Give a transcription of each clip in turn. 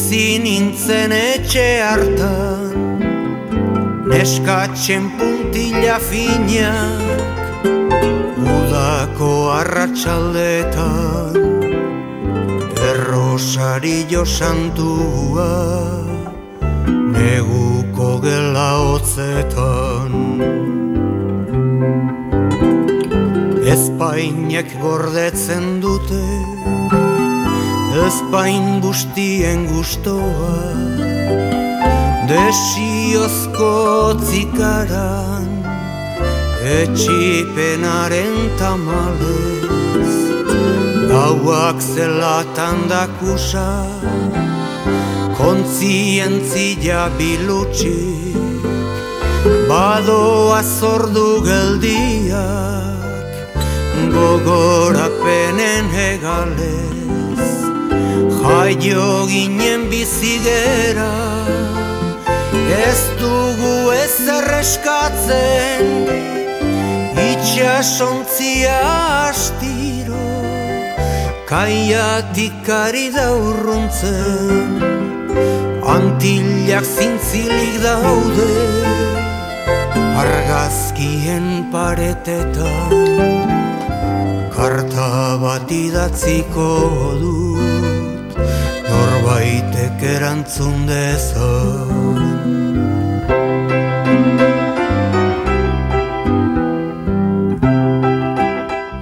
bizi nintzen etxe hartan, neskatzen puntila finak, udako arratsaldetan, errosario santua, neguko gela hotzetan. Ezpainek gordetzen dute, ezpain guztien gustoa, desiozko zikaran, etxipenaren tamalez, gauak zelatan dakusa, kontzientzia bilutxik, badoa zordu geldiak, gogorapenen hegalez, jaio ginen bizigera, ez dugu ezer eskatzen, itxasontzia astiro, kaiatik ari da urruntzen, Antillak zintzilik daude, argazkien paretetan, karta bat idatziko dut, norbaitek erantzun dezan.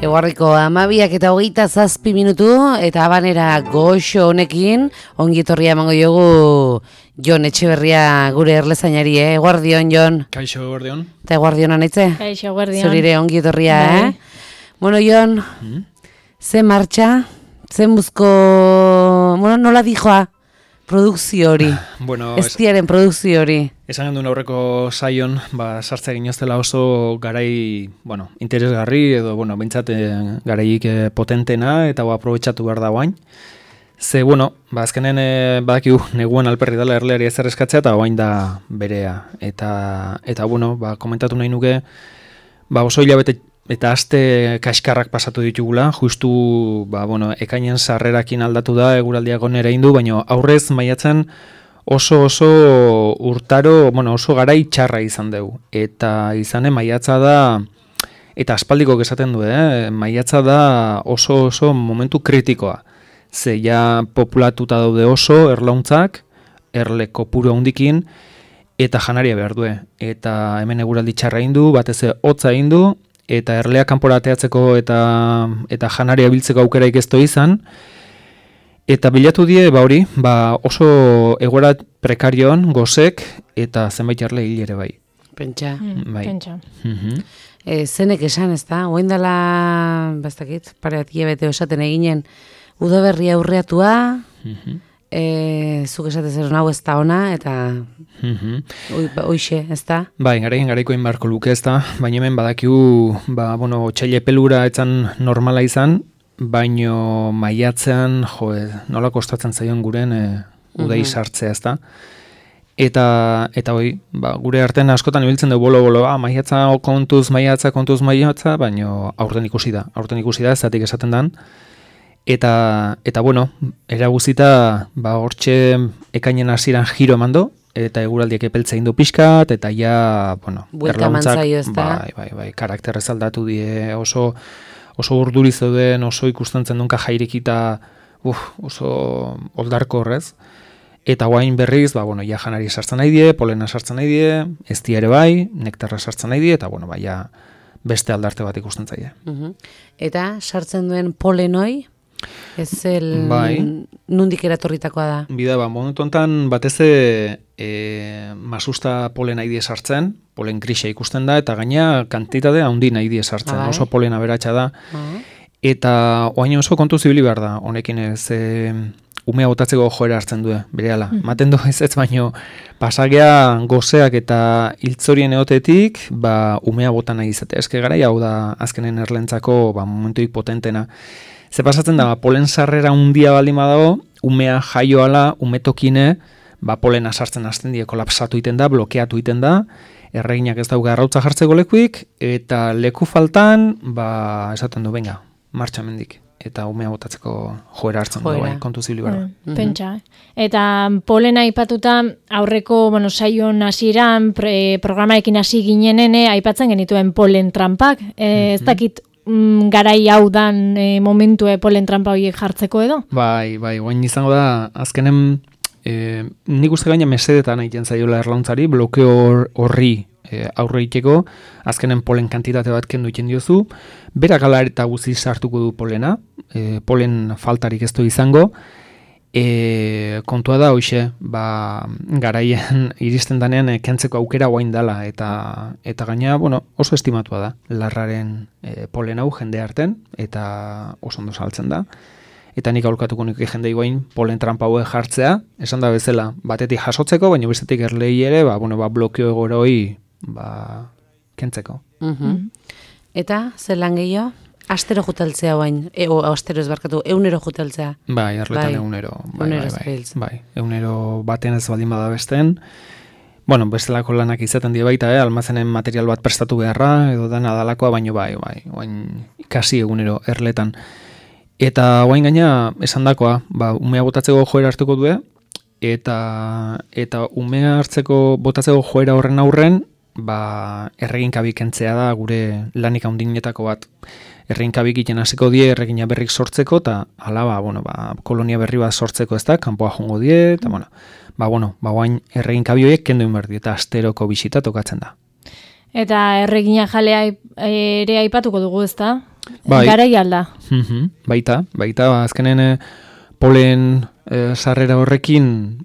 Eguardiko 12:27 eta Habanera goxo honekin ongi etorria emango diogu Jon Etxeberria gure erlezainari, Eguardion, Jon. Kaixo, eguardion. Eta eguardion anitze? Kaixo, eguardion. Zurire ongi etorria, Bueno, Jon, ze martxa, ze muzko, nola dijoa produkzio hori, Bueno, estiaren produkzio hori. Esan genduen aurreko saion, sartzea ginoztela oso garai, interesgarri edo, behintzat garaik potentena eta aprobetxatu behar da guain. Ze, azkenen badakigu neguen alperri dela erleari ezer eskatzea eta guain da berea. Eta komentatu nahi nuke, oso hilabete eta aste kaskarrak pasatu ditugula, justu, ekainen sarrerakin aldatu da, eguraldiak onera indu, baina aurrez maiatzen oso urtaro, oso garai txarra izan dugu. Eta izane maiatza da, eta aspaldiko esaten du, maiatza da oso momentu kritikoa. Ze ja populatuta daude oso erlauntzak, erle kopuru handikin, eta janaria behar du. Eta hemen eguraldi txarra indu, batez hotza indu, eta erlea kanpora ateatzeko eta janaria biltzeko aukeraik ez izan, eta bilatu die, oso egoera prekarioan, gozek, eta zenbait erle hil ere bai. Pentsa. Pentsa. Zenek esan, ez da? Oain dela, bastakit, pare bat hilabete esaten eginen, udaberria aurreatua, zuk esatez hau ez da ona, eta hoixe, ez da? Garaikoen barko luke ez da, baina hemen badakigu, otsaile pelura etzan normala izan, baino maiatzean, nola kostatzen zaion guren udai sartzea ez da. Eta gure artean askotan ibiltzen dugu bolo, maiatza kontuz maiatza, baino aurten ikusi da, ez zatik esaten dan. Eta era guzita, hortxe ekainen hasieran giro emando, eta eguraldiak epeltza indu pixkat, eta ja, buelta mantzaio ez da. Karakterrez aldatu die, oso urduri zeuden, oso ikusten dunka jairikita, oso oldarko horrez. Eta guain berriz, ja janari sartzen nahi die, polena sartzen nahi die, eztia ere bai, nektarra sartzen nahi die, eta ja beste aldarte bat ikusten zaie. Eta sartzen duen polenoi, ez nundik eratorritakoa da? Bida, momentu enten batez masusta polen nahi die sartzen, polen grisa ikusten da, eta gaina kantitate handi nahi die sartzen, oso polena beratxa da. Eta oain oso kontu zibili behar da, honekin ez umea botatzeko joera hartzen du, berehala. Maten du ez baino pasagea gozeak eta hiltzorien eotetik, umea bota nahi izatea. Eske gara hau da azkenen erlentzako momentuik potentena. Ze pasatzen da, polen sarrera handia baldin badago, umea jaioala, umetokine, polena sartzen hasten die, kolapsatu iten da, blokeatu iten da, erreginak ez dauka arrautza jartzeko lekuik, eta leku faltan, esaten du, venga, martxa mendik. eta umea botatzeko joera hartzen du, bai, kontu zibili behar. Pentsa. Eta polena aipatuta aurreko, saion hasieran programaekin hasi ginenen aipatzen genituen polen trampak. Ez dakit garai hau dan momentu polen trampa horiek jartzeko edo? Bai, guain izango da, azkenen nik uste gaina mesedetan egiten zaiola erlauntzari, blokeo horri aurre iteko, azkenen polen kantitate bat kendu egiten diozu, berak ala eta guzi sartuko du polena, polen faltarik ez du izango, kontua da, hoxe, garaien iristen danean kentzeko aukera guain dela, eta gaina, oso estimatua da, larraren polen hau jende arten, eta oso ondo saltzen da. Eta nik aholkatuko nuke jendei guain polen trampa hauek jartzea, esan da bezala, batetik jasotzeko, baina bestetik erlei ere, blokeo egora hori, kentzeko. Eta, zer lan gehiago? Astero juteltzea guain, astero ez barkatu, eunero juteltzea. Bai, erletan eunero. Bai, eunero baten ez baldin bada besten. Bestelako lanak izaten die baita, almazenen material bat prestatu beharra, edo da nadalakoa, baino bai, ikasi egunero erletan. Eta guain gaina esan dakoa, umea botatzeko joera hartuko du, eta umea hartzeko botatzeko joera horren aurren, erreginkabik kentzea da gure lanik handinetako bat. Erreginkabik iten hasiko die erregina berrik sortzeko, eta hala, kolonia berri bat sortzeko ez da, kanpoa jongo die, eta guain erreginkabi horiek kendu inberdi, eta asteroko bisita tokatzen da. Eta erregina jalea ere aipatuko dugu ez da? Bai. Garai alda. Baita, azkenen polen sarrera horrekin,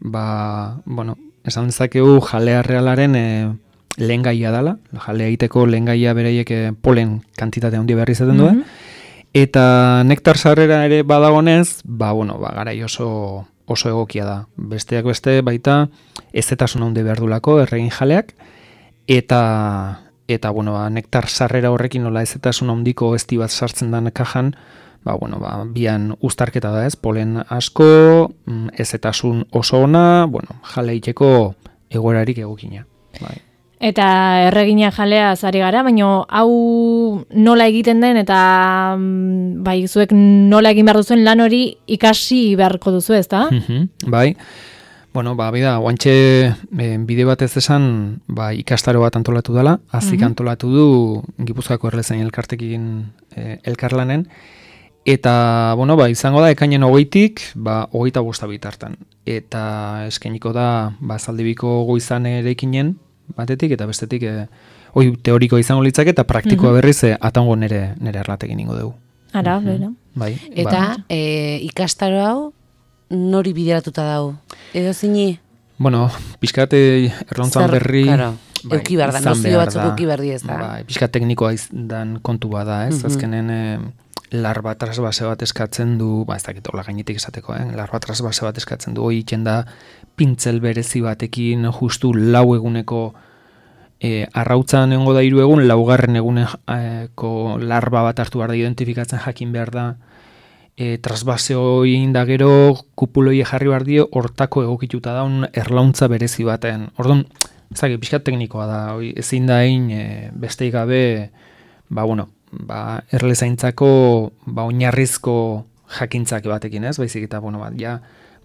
esan dezakegu jalea realaren lehen gaia dela, jalea egiteko lehen gaia bereiek polen kantitate handi behar izaten du, eta nektar sarrera ere badagonez, garai oso egokia da. Besteak beste baita ezetasun handi behar dulako erregin jaleak, eta nektar sarrera horrekin nola ezetasun handiko ezti bat sartzen den kajan, bian uztarketa da ez, polen asko, ezetasun oso ona, jale iteko egoerarik egokina. Bai. Eta erregina jalea zari gara, baina hau nola egiten den, eta zuek nola egin behar duzuen lan hori ikasi beharko duzu ez da? Bai. Bida, guantxe bide bat ez esan ikastaro bat antolatu dela, azik antolatu du Gipuzkoako Erlezain elkartekin elkarlanen, eta, izango da, ekainen 20-tik, 25 bitartan. Eta eskainiko da, zaldibiko goizan erekinen batetik, eta bestetik, teoriko izango litzak, eta praktikoa berriz, atango nere erlatekin ingo dugu. Ara, bera. Bai. Eta ikastaro hau, nori bideratuta dago? Edo zini? Pixkate erlauntzan berri... Euki behar da, nozio batzuk euki behar di ez da. Pixkat teknikoa izan kontu bada, ez? Azkenen larba trasbase bat eskatzen du, ez dakit hola gainetik esateko, larba trasbase bat eskatzen du, hori iken da pintzel berezi batekin justu 4 eguneko arrautzan egongo da 3 egun, 4. eguneko larba bat hartu behar da identifikatzen jakin behar da, trasbase hori inda gero kupuloi jarri behar dio hortako egokituta daun erlauntza berezi baten. Orduan, ezagik, pixkat teknikoa da, ezin da egin besteik gabe, erlezaintzako oinarrizko jakintzak batekin ez, baizik eta,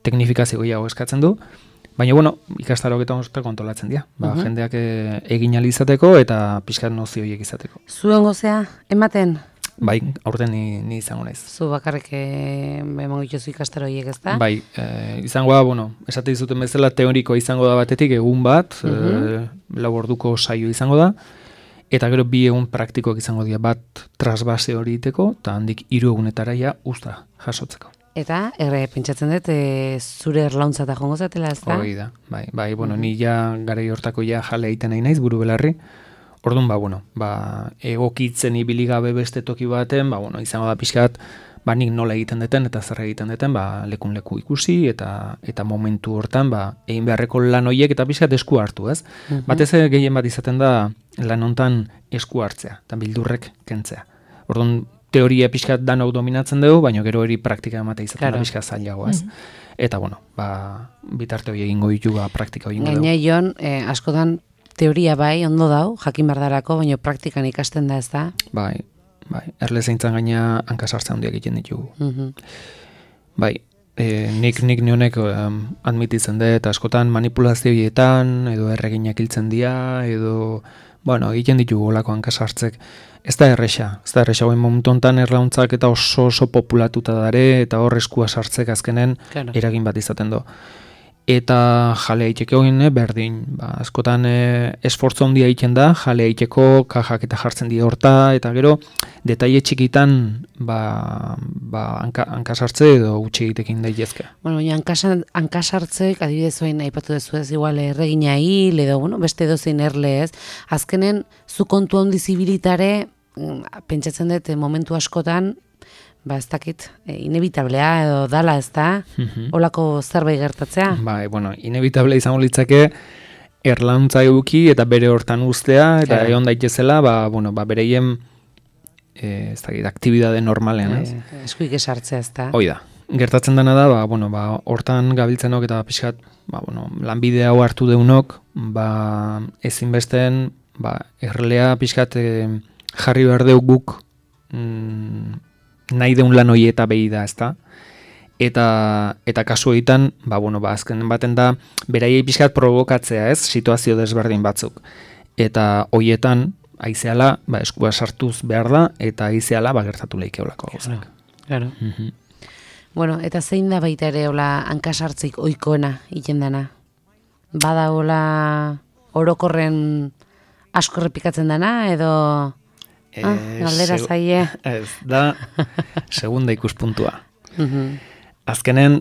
teknifikazio gehiago eskatzen du, baina, ikastaroak eta onzutako antolatzen dira, jendeak egin alizateko eta pixkat nozioiek izateko. Zuen gozea, ematen? Bai, aurten ni izango naiz. Zu bakarrik emango dituzu ikastaro horiek ez da? Bai, izango da, esate dizuten bezala teoriko izango da batetik egun bat, 4 orduko saio izango da, eta gero 2 egun praktikoak izango dira, bat trasbase hori iteko, eta handik 3 egunetara usta jasotzeko. Eta, pentsatzen dut, zure erlauntza eta jongo zatela ez da? Hori da, bai, ni garai hortako jale egiten nahi naiz, buru belarri. Orduan, egokitzen ibiligabe beste toki baten, izango da pixkat, nik nola egiten deten eta zer egiten deten, lekun leku ikusi eta momentu hortan, egin beharreko lan horiek eta pixkat esku hartu, ez? Batez gehien bat izaten da lan hontan esku hartzea, eta bildurrek kentzea. Orduan, teoria pixkat dan hau dominatzen dugu, baina gero hori praktika ematea izaten da pixkat zailago, ez? Eta, bitarte hori egingo ditu, praktika hori egingo dugu. Gaina, Jon, askotan, teoria bai, ondo dau, jakin bardarako, baina praktikan ikasten da ez da? Bai, bai, erle zeintzan gaina hankasartze handiak egiten ditugu. Bai, nik nionek admititzen dut, askotan manipulazioietan, edo erreginak hiltzen dira, edo, bueno, egiten ditugu olako hankasartzek. Ez da erresa, guen momentu honetan erlauntzak eta oso populatuta dare, eta hor eskua sartzek azkenen eragin bat izaten do. Eta jale haiteko berdin, askotan esfortzu handia egiten da, jale haiteko kajak eta jartzen dira horta, eta gero detaile txikitan hankasartze edo gutxi egitekin daitezke. Bueno, baina hankasartzeek adibidez oain aipatu dezu ez, igual erregina hil edo beste edozein erle ez, azkenen zu kontu handi zibilitare, pentsatzen dut momentu askotan, ez dakit, inevitablea edo dala ez da, olako zerbait gertatzea. Bai, bueno, inevitable izango litzake erlauntza eduki eta bere hortan ustea, eta egon daitezela, bereien ez dakit, aktibidade normalean, ez? Eskuik esartzea ez da. Hoi da. Gertatzen dena da, hortan gabiltzenok eta pixkat, lanbide hau hartu deunok, ezinbesten, erlea pixkat jarri behar deuk guk nahi deun lan hoi eta behi da, ez da? Eta kasu egiten, azken baten da, beraiei pixkat provokatzea, ez? Situazio desberdin batzuk. Eta hoietan, aizeala, eskua sartuz behar da, eta aizeala, gertatu lehikeolako gauzak. Claro. Bueno, eta zein da baita ere hola hankasartzik ohikoena egiten dana? Bada hola orokorren asko errepikatzen dana, edo... galdera zaie. Ez, da segunda ikuspuntua. Azkenen,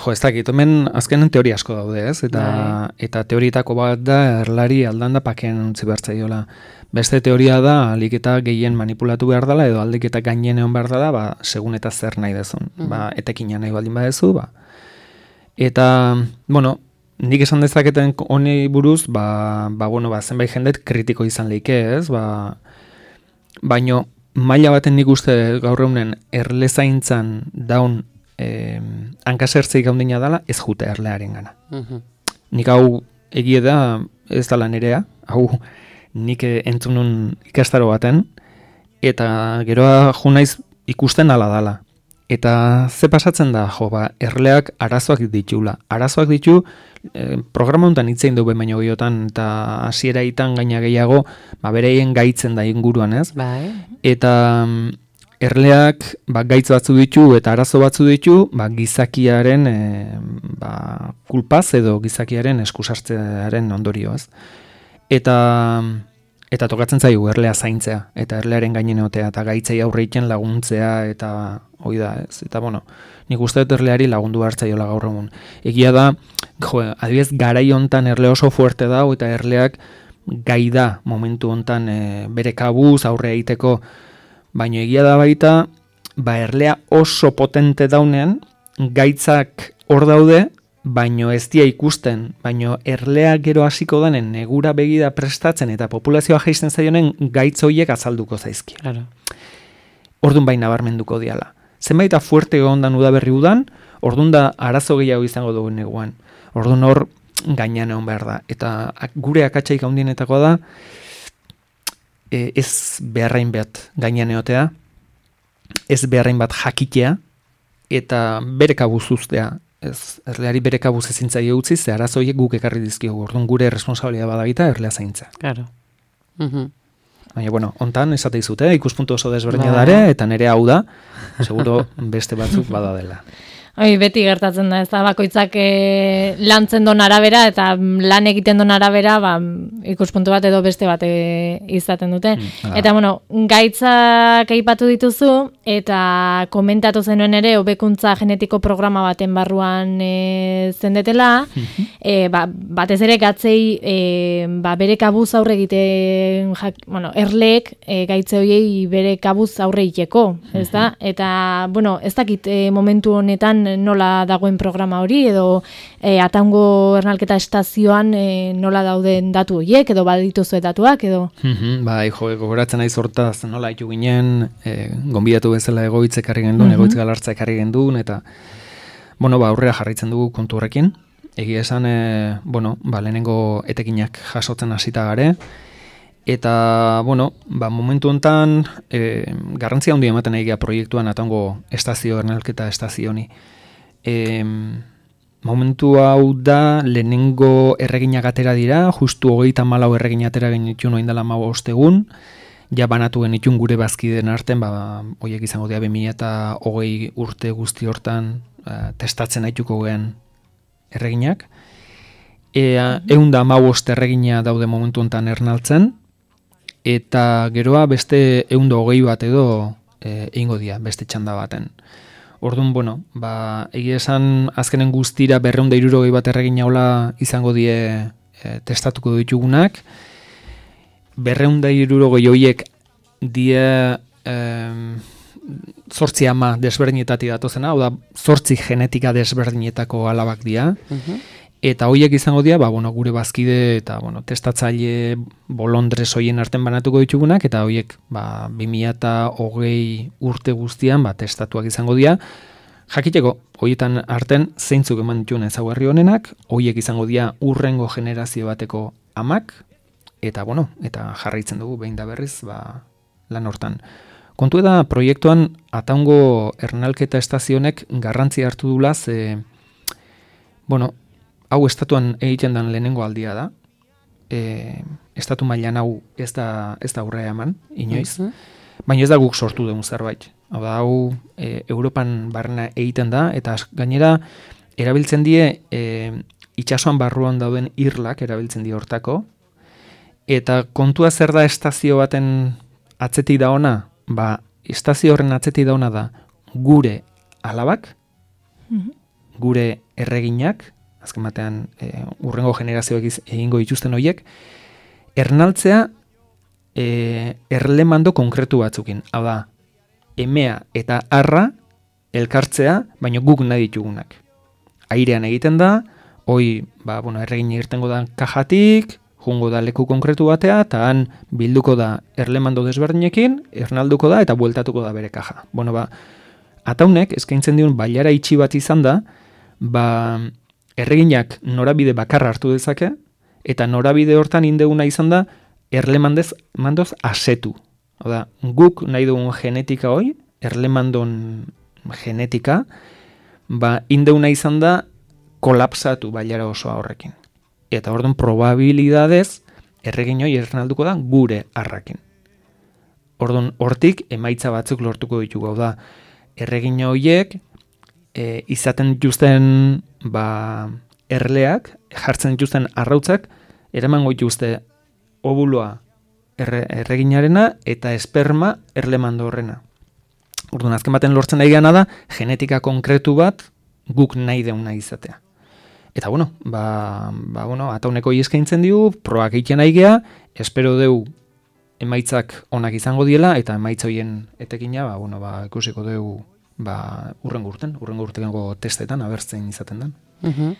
ez dakit, hemen azkenen teoria asko daude, ez? Eta teorietako bat da erlari aldan da pakean utzi behar zaiola. Beste teoria da, aliketa gehien manipulatu behar dela, edo aldiketa gainen egon behar dela, segun eta zer nahi dezun. Etekina nahi baldin badezu, Eta, nik esan dezaketen honi buruz, zenbait jendet kritiko izan leike, ez? Baino, maila baten nik uste gaur egunen erlezaintzan daun hankasertzeik gaundina dela, ez jute erlearen gana. Nik hau egie da, ez dela nerea, hau nik entzunun ikastaro baten, eta geroa jo naiz ikusten ala dala. Eta ze pasatzen da, erleak arazoak ditula. Arazoak ditu, programa honetan hitzein du baino gehiotan, eta hasieraitan gaina gehiago, bereien gaitzen da inguruan, ez? Bai. Eta erleak gaitz batzu ditu eta arazo batzu ditu, gizakiaren kulpaz edo gizakiaren eskusartzearen ondorioaz. Eta tokatzen zaigu erlea zaintzea, eta erlearen gainen egotea, eta gaitzei aurreiken laguntzea, eta hoi da, ez? Eta, nik uste dut erleari lagundu hartzaiola gaur egun. Egia da, adibidez, garai hontan erle oso fuerte da, eta erleak gai da momentu hontan bere kabuz aurre egiteko, baina egia da baita, erlea oso potente daunean, gaitzak hor daude, baino ez dia ikusten, baino erlea gero hasiko danen negura begida prestatzen eta populazioa jaisten zaionen gaitz horiek azalduko zaizki. Claro. Ordun baina nabarmenduko diala. Zenbaita fuerte egondan udaberri udan, ordun da arazo gehiago izango dugu neguan. Ordun hor gainean egon behar da. Eta gure akatsaik handienetakoa da, ez beharrain bat gainean egotea, ez beharrain bat jakitea, eta bere kabuz uztea. Erleari bere kabuz ezintzaile utzi, ze arazoiek guk ekarri dizkiogu. Orduan gure responsabilia badagita erlea zaintza. Claro. Baina, hontan esate izute, ikuspuntu oso desberdina dare, eta nire hau da, seguro beste batzuk bada dela. Beti gertatzen da, ez da, bakoitzak lantzen don arabera, eta lan egiten don arabera, ikuspuntu bat edo beste bat izaten dute. Eta, gaitzak aipatu dituzu, eta komentatu zenuen ere, hobekuntza genetiko programa baten barruan zendetela, batez ere gatzei bere kabuz aurre egiten, erleek gaitze horiei bere kabuz aurre egiteko, ez da? Eta, ez dakit momentu honetan nola dagoen programa hori, edo Atango ernalketa estazioan nola dauden datu horiek, edo badituzue datuak, edo? Gogoratzen naiz hortaz, nola haitu ginen, gonbidatu bezala egoitz ekarri gendun, egoitz galartza ekarri gendun, eta, aurrera jarraitzen dugu kontu horrekin. Egia esan, lehenengo etekinak jasotzen hasita gare, Eta, bueno, momentu honetan garrantzia handia ematen nahi gea proiektuan atango estazio, ernalketa estazio honi. Momentu hau da, lehenengo erreginak atera dira, justu 34 erregin atera genitun oindala 15 egun, ja banatu genitun gure bazkideen arten, horiek izango dira 2020 urte guzti hortan testatzen haituko gehen erreginak. 115 erregina daude momentu honetan ernaltzen, eta geroa beste 120 bat edo egingo dira, beste txanda baten. Orduan, egia esan azkenen guztira 260 bat erregin haula izango die testatuko ditugunak. 260 horiek die 8 ama desberdinetatik datozena, hau da 8 genetika desberdinetako alabak dira. Eta horiek izango dira, gure bazkide eta testatzaile bolondrez hoien arten banatuko ditugunak, eta horiek 2020 urte guztian testatuak izango dira. Jakiteko, horietan arten zeintzuk eman dituen ezaugarri honenak, horiek izango dira urrengo generazio bateko amak, eta jarraitzen dugu behin da berriz lan hortan. Kontu da proiektuan ataungo ernalketa estazionek garrantzia hartu dula, hau estatuan egiten den lehenengo aldia da. Estatu mailan hau ez da aurrea eman, inoiz. Baina ez da guk sortu dugun zerbait. Hau Europan barrena egiten da, eta gainera erabiltzen die itsasoan barruan dauden irlak erabiltzen die hortako. Eta kontua zer da estazio baten atzetik da ona? Estazio horren atzetik da ona da gure alabak, gure erreginak, azken batean urrengo generazioak egingo dituzten horiek, ernaltzea erlemando konkretu batzukin. Hau da, emea eta arra elkartzea, baina guk nahi ditugunak. Airean egiten da, erregin irtengo da kajatik, jungo da leku konkretu batea, eta han bilduko da erlemando desberdinekin, ernalduko da eta bueltatuko da bere kaja. Ataunek eskaintzen diun bailara itxi bat izan da, erreginak norabide bakarra hartu dezake, eta norabide hortan indeguna izan da erlemandoz asetu. Oda, guk nahi dugun genetika hoi, erlemandon genetika, indeguna izan da kolapsatu bailara osoa horrekin. Eta orduan probabilidadez erregin hoi ernalduko da gure arrakin. Orduan hortik emaitza batzuk lortuko ditugu. Hau da, erregin horiek izaten dituzten erleak, jartzen dituzten arrautzak, eramango dituzte obuloa erreginarena eta esperma erlemando horrena. Orduan, azken baten lortzen nahi gana da, genetika konkretu bat guk nahi deuna izatea. Eta atauneko eskaintzen digu, proak egiten nahi gea, espero deu emaitzak onak izango diela, eta emaitza horien etekina, ikusiko deu urrengo urtengo testetan, abertzen izaten den.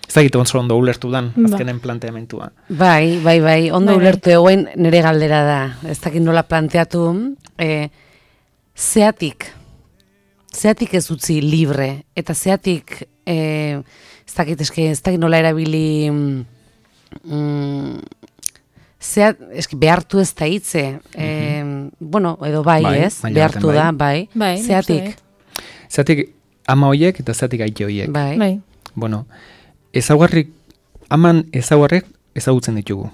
Ez dakit ondo ulertu dan, azkenen planteamentua. Bai, ondo ulertu egoen nire galdera da. Ez dakit nola planteatu, zeatik ez utzi libre, eta zeatik, ez dakit nola erabili, behartu ez da hitze, edo ez, behartu da, zeatik. Zeatik ama horiek eta zeatik aite horiek. Bai. Ezaugarriak ezagutzen ditugu.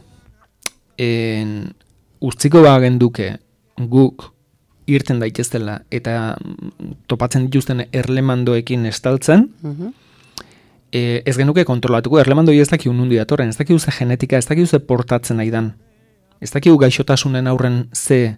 Urtziko genduke guk irten daiteztela eta topatzen dituzten erlemandoekin estaltzen, ez genuke kontrolatuko, erlemandoi ez dakiu nundi datorren, ez dakiu ze genetika, ez dakiu ze portatzen nahi dan, ez dakiu gaixotasunen aurren ze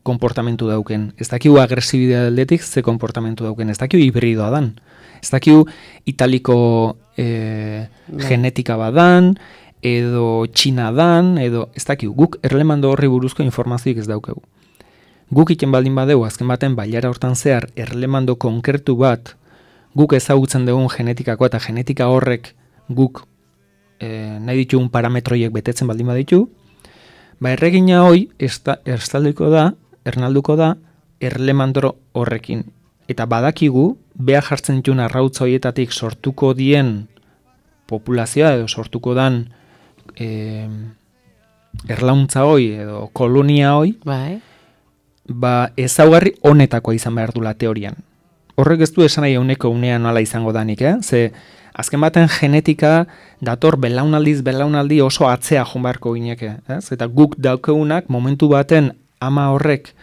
konportamentu dauken, ez dakiu agresibidea aldetik ze konportamentu dauken, ez dakiu hibridoa dan, ez dakiu italiko genetika badan, edo txina dan, edo ez dakiu, guk erlemando horri buruzko informazioik ez daukegu. Guk iten baldin badeu, azken baten bailara hortan zehar, erlemando konkretu bat, guk ezagutzen dugun genetikako eta genetika horrek guk nahi ditugun parametroiek betetzen baldin baditu, erregina hoi ernalduko da erlemandro horrekin. Eta badakigu, beha jartzen dituen arrautza horietatik sortuko dien populazioa edo sortuko dan erlauntza hoi edo kolonia hoi, Bai. ba ezaugarri honetakoa izan behar dula teorian. Horrek ez du esan nahi euneko unean nola izango danik, Ze azken baten genetika dator belaunaldi oso atzea joan beharko gineke, ez? Eta guk daukeunak momentu baten ama horrek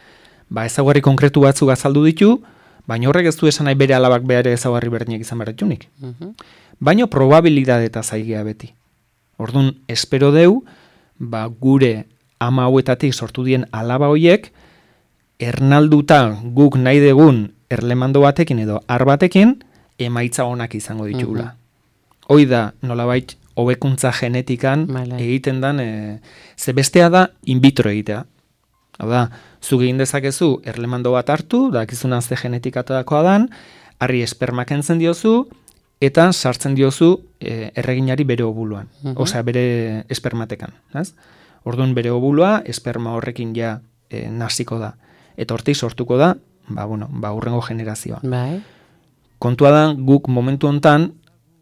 ba ezaugarri konkretu batzuk azaldu ditu, baina horrek ez du esan nahi bere alabak bere ezaugarri berdinak izan behar ditunik. Baina probabilidadeta zaigea beti. Orduan, espero deu, ba gure ama hauetatik sortu dien alaba hoiek, ernalduta guk nahi degun erlemando batekin edo ar batekin, emaitza onak izango ditugula. Hoi da, nolabait, hobekuntza genetikan egiten dan, ze bestea da in vitro egitea. Hau da, zuk egin dezakezu erlemando bat hartu, dakizuna ze genetikatakoa dan, harri espermak entzen diozu, eta sartzen diozu erreginari bere obuluan. Osea, bere espermatekan. Orduan bere obulua, esperma horrekin ja nasiko da. Eta hortik sortuko da, hurrengo generazioa. Bai. Kontua da, guk momentu hontan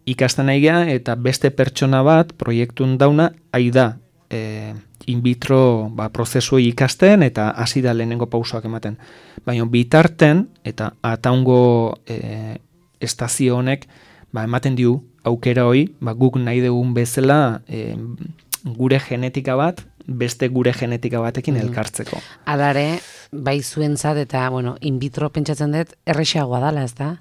ikasten nahi gea, eta beste pertsona bat proiektun dauna, da in vitro prozesuei ikasten, eta hasi da lehenengo pausoak ematen. Baina bitarten, eta ataungo estazio honek, ematen diu aukera hoi, guk nahi dugun bezala gure genetika bat, beste gure genetika batekin elkartzeko. Alare, bai zuentzat eta, in vitro pentsatzen dut, errexagoa dala, ez da?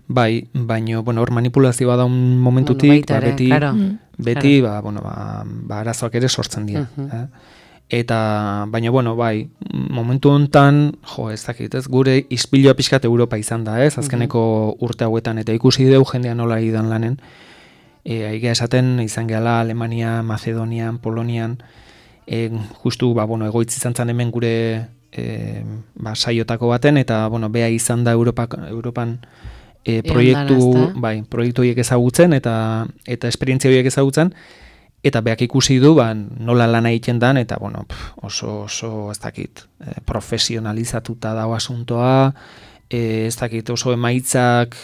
Bai, baina, hor manipulazioa da un momentutik, beti, arazoak ere sortzen dira. Eta, baina, bai, momentu hontan, ez dakit, ez, gure ispiloa pixkat Europa izan da, ez, azkeneko urte hauetan, eta ikusi deu jendean nola idan lanen, aiga esaten, izan gehala Alemania, Macedonian, Polonian, justu, egoitz izan zen hemen gure saiotako baten, eta, bea izan da Europan proiektu horiek ezagutzen, eta esperientzia horiek ezagutzen, eta beak ikusi du, nola lan egiten dan, eta, oso, ez dakit, profesionalizatuta dago asuntoa, ez dakit, oso emaitzak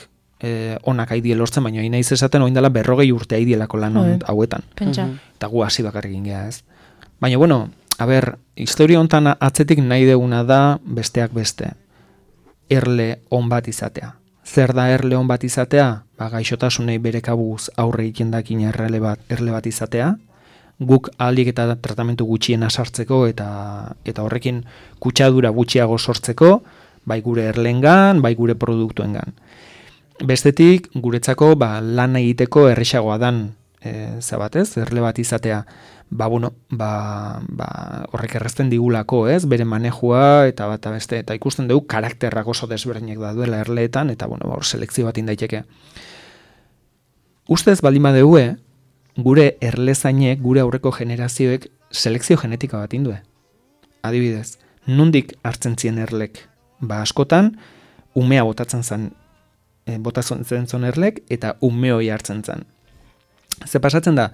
onak haidie lortzen, baina hain naiz esaten oindala 40 urte haidielako lan hauetan. Eta gu hasi bakar egin geha, ez. Baina, historia hontan atzetik nahi deguna da besteak beste. Erle on bat izatea. Zer da erle on bat izatea? Gaixotasunei bere kabuz aurre egiten dakin erle bat izatea. Guk ahalik eta tratamentu gutxiena sartzeko eta horrekin kutsadura gutxiago sortzeko, bai gure erlengan, bai gure produktuengan. Bestetik, guretzako lan egiteko errexagoa dan erle bat izatea. Horrek errezten digulako, ez? Bere manejua eta bat beste, eta ikusten dugu karakterrak oso desberdinak da duela erleetan, eta hor selekzio bat indaiteke. Ustez baldin badeue, gure erlezainek, gure aurreko generazioek selekzio genetika bat indue. Adibidez, nondik hartzen zien erlek? Askotan, umea botatzen zen erlek, eta umeoi hartzen zen. Ze pasatzen da,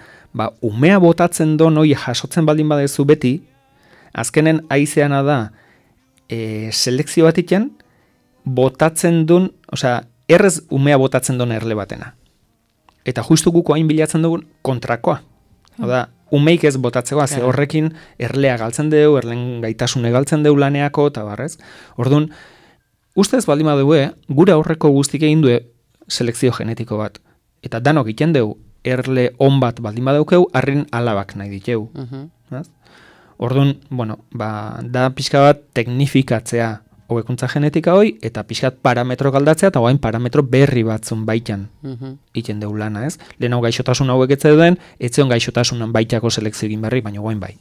umea botatzen don hoi jasotzen baldin badezu beti, azkenen aizeana da selekzio bat iken, botatzen duen, errez umea botatzen don erle batena. Eta justu guko hain bilatzen dugun kontrakoa. Oda, umeik ez botatzeko, ze horrekin erlea galtzen deu, erlen gaitasune galtzen deu laneako, eta barrez. Orduan, ustez baldin badeue, gure aurreko guztik egin du selekzio genetiko bat. Eta danok iten deu, erle on bat baldin badaukeu, harrin alabak nahi diteu. Orduan, da pixka bat teknifikatzea hobekuntza genetika hoi, eta pixkat parametro galdatzea, eta guain parametro berri batzun baitan iten deu lana, ez? Lehen hau gaixotasun hauek etzeuden, etzeon gaixotasunan baitako selekzio egin berri, baina guain bai.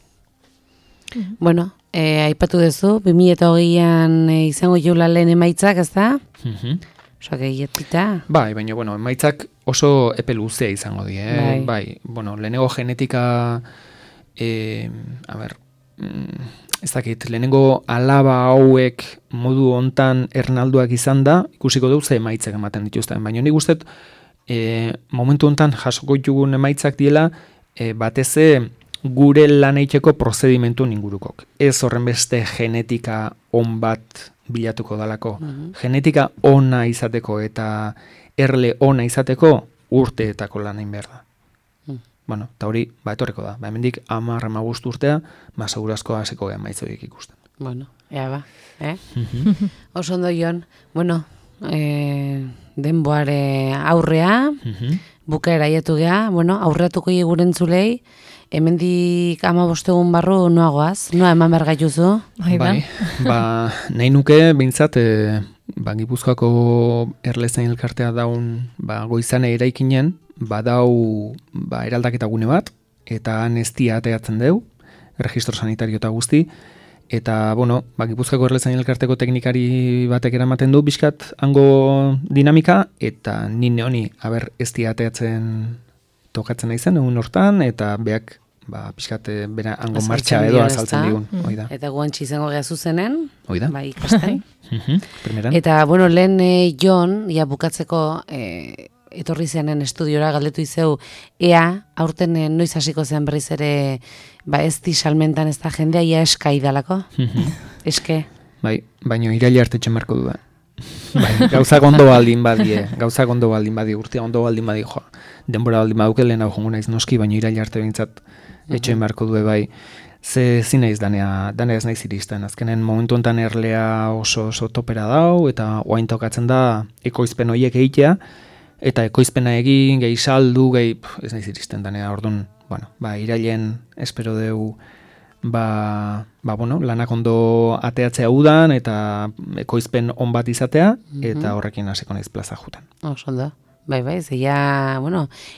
Aipatu duzu, 2020an izango jola lehen emaitzak, ez da? Oso gehietita. Bai, baina, emaitzak oso epe luzea izango die, bai, lehenengo genetika, ez dakit, lehenengo alaba hauek modu hontan ernalduak izan da, ikusiko dut ze emaitzak ematen dituzten, baina nik guztet, momentu hontan jasoko ditugun emaitzak diela, bateze gure lan egiteko prozedimentu ingurukok. Ez horren beste genetika on bat bilatuko dalako. Genetika ona izateko eta erle ona izateko urteetako lan egin behar da. bueno, eta hori, etorreko da. Hemendik 10-15 urtea, segurazko hasiko gehan maitzoiek ikusten. Bueno, ea ba, Oso ondo Jon, bueno, denboare aurrea, bukaera aietu geha, bueno, aurreatuko guren zulei, hemendik 15 egun barru noagoaz, noa eman behar gaituzu? Bai, nahi nuke, behintzat, Gipuzkoako erlezain elkartea daun goizane eraikinen, badau eraldaketa gune bat, eta nestia ateatzen deu, registro sanitario eta guzti, eta, bueno, Gipuzkoako erlezain elkarteko teknikari batek eramaten du, bizkat hango dinamika, eta nine honi, estia ateatzen tokatzen naizen, egun hortan, eta beak, pixkat, bera hango martxa edo azaltzen digun. Eta guantxi izango geha zuzenen, Oida. Ikasten. Primeran. Eta, bueno, lehen Jon, bukatzeko etorri zenen estudiora galdetu izeu, ea, aurten noiz hasiko zen berriz ere, ez salmentan ez da jendea, ia eskai dalako? Eske? Baina iraila artetxen marko du da. Gauzak ondo baldin badie, urtea ondo baldin badie, denbora baldin baduke lehen hau jongo naiz noski, baina iraila arte behintzat etxoen marko du bai. Ze zinaiz danea ez naiz iristen. Azkenen momentu enten erlea oso topera dau, eta oain tokatzen da ekoizpen horiek egitea, eta ekoizpena egin, gehi saldu, ez naiz iristen danea. Orduan, irailen espero deu, lanak ondo ateatzea udan, eta ekoizpen on bat izatea, eta horrekin hasiko naiz plaza juten. Oso da. Bai, zeia,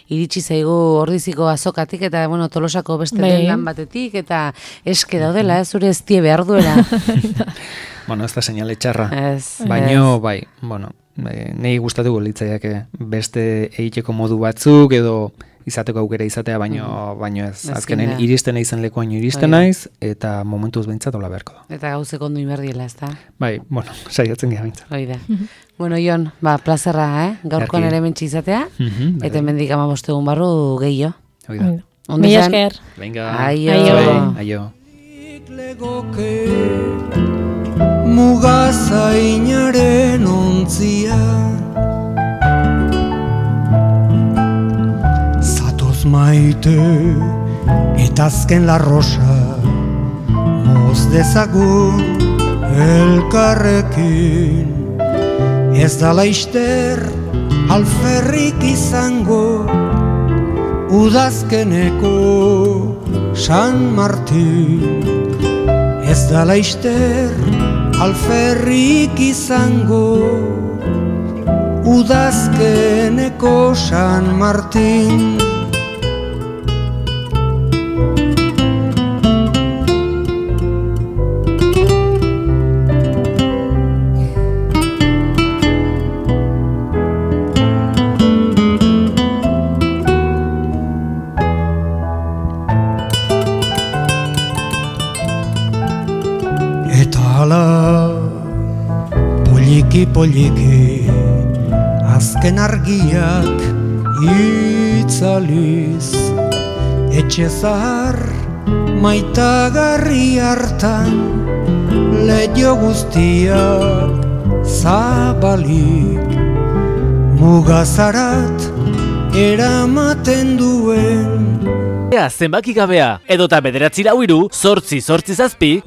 iritsi zaigu ordiziko azokatik, eta, Tolosako beste lan batetik, eta eske daudela, zure ez tie behar duela. Ez da seinale txarra. Baina, nahi gustatuko litzaiake beste egiteko modu batzuk, edo izateko aukera izatea, baino ez. Azkenen iristen naizen lekuan iristen naiz, eta momentuz behintzat hola beharko da. Eta gauzek ondo inberdiela, ez da? Bai, saiatzen geha behintzat. Oida. Bueno, Jon, plazerra, gaurkoan ere mentsi izatea, eta hemendik 15 egun barru gehiago. Oida. Mila esker. Venga. Aio. Legoke mugazainaren ontzia Zatoz maite eta azken la rosa moz dezagun elkarrekin Ez da laister alferrik izango udazkeneko San Martin Ez da laister alferrik izango udazkeneko San Martin Poliki, azken argiak itzaliz Etxe zahar maitagarri hartan Leio guztiak zabalik Mugazarat eramaten duen Zenbaki gabea, edota 9 4 8 8 7